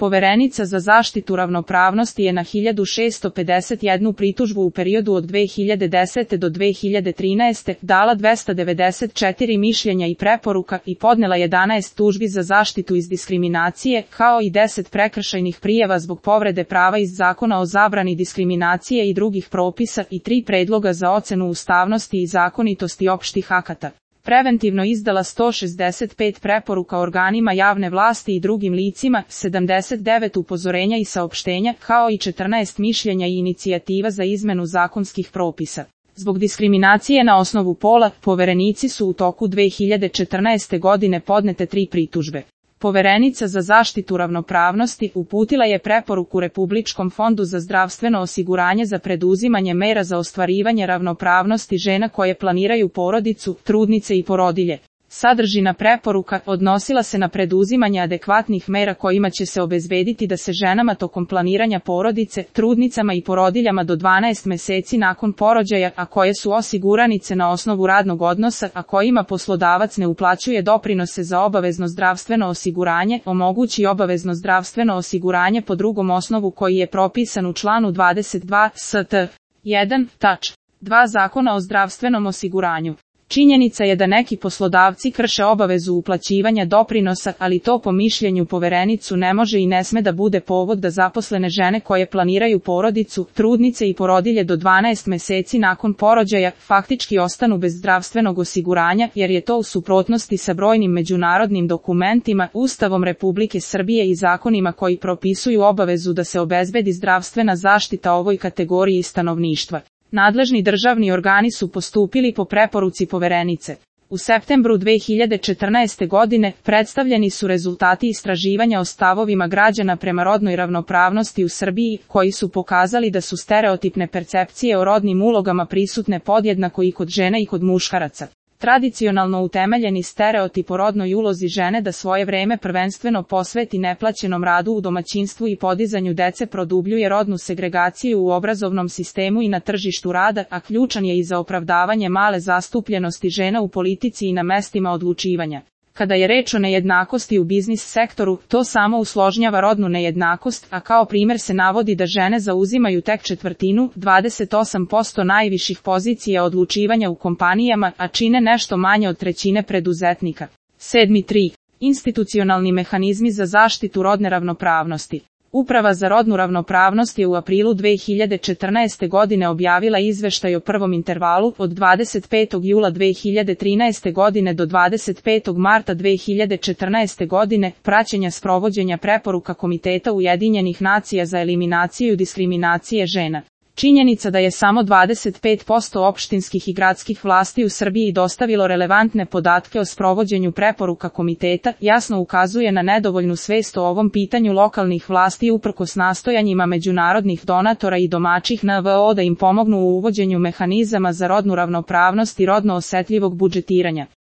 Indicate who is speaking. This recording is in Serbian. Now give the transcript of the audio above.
Speaker 1: Poverenica za zaštitu ravnopravnosti je na 1651 pritužbu u periodu od 2010. do 2013. dala 294 mišljenja i preporuka i podnela 11 tužbi za zaštitu iz diskriminacije, kao i 10 prekršajnih prijava zbog povrede prava iz Zakona o zabrani diskriminacije i drugih propisa i 3 predloga za ocenu ustavnosti i zakonitosti opštih akata. Preventivno izdala 165 preporuka organima javne vlasti i drugim licima, 79 upozorenja i saopštenja, kao i 14 mišljenja i inicijativa za izmenu zakonskih propisa. Zbog diskriminacije na osnovu pola, poverenici su u toku 2014. godine podnete 3 pritužbe. Poverenica za zaštitu ravnopravnosti uputila je preporuku Republičkom fondu za zdravstveno osiguranje za preduzimanje mera za ostvarivanje ravnopravnosti žena koje planiraju porodicu, trudnice i porodilje. Sadržina preporuka odnosila se na preduzimanje adekvatnih mera kojima će se obezbediti da se ženama tokom planiranja porodice, trudnicama i porodiljama do 12 meseci nakon porođaja, a koje su osiguranice na osnovu radnog odnosa, a kojima poslodavac ne uplaćuje doprinose za obavezno zdravstveno osiguranje, omogući obavezno zdravstveno osiguranje po drugom osnovu koji je propisan u članu 22 st. 1. tač. 2 Zakona o zdravstvenom osiguranju. Činjenica je da neki poslodavci krše obavezu uplaćivanja doprinosa, ali to po mišljenju poverenicu ne može i ne sme da bude povod da zaposlene žene koje planiraju porodicu, trudnice i porodilje do 12 meseci nakon porođaja, faktički ostanu bez zdravstvenog osiguranja, jer je to u suprotnosti sa brojnim međunarodnim dokumentima, Ustavom Republike Srbije i zakonima koji propisuju obavezu da se obezbedi zdravstvena zaštita ovoj kategoriji stanovništva. Nadležni državni organi su postupili po preporuci poverenice. U septembru 2014. godine predstavljeni su rezultati istraživanja o stavovima građana prema rodnoj ravnopravnosti u Srbiji, koji su pokazali da su stereotipne percepcije o rodnim ulogama prisutne podjednako i kod žena i kod muškaraca. Tradicionalno utemeljeni stereotip o rodnoj ulozi žene da svoje vreme prvenstveno posveti neplaćenom radu u domaćinstvu i podizanju dece produbljuje rodnu segregaciju u obrazovnom sistemu i na tržištu rada, a ključan je i za opravdavanje male zastupljenosti žena u politici i na mestima odlučivanja. Kada je reč o nejednakosti u biznis sektoru, to samo usložnjava rodnu nejednakost, a kao primer se navodi da žene zauzimaju tek 1/4, 28% najviših pozicija odlučivanja u kompanijama, a čine nešto manje od 1/3 preduzetnika. 7.3. Institucionalni mehanizmi za zaštitu rodne ravnopravnosti. Uprava za rodnu ravnopravnost je u aprilu 2014. godine objavila izveštaj o prvom intervalu od 25. jula 2013. godine do 25. marta 2014. godine, praćenja sprovođenja preporuka Komiteta Ujedinjenih nacija za eliminaciju diskriminacije žena. Činjenica da je samo 25% opštinskih i gradskih vlasti u Srbiji dostavilo relevantne podatke o sprovođenju preporuka komiteta jasno ukazuje na nedovoljnu svest o ovom pitanju lokalnih vlasti uprkos nastojanjima međunarodnih donatora i domaćih NVO da im pomognu u uvođenju mehanizama za rodnu ravnopravnost i rodno osetljivog budžetiranja.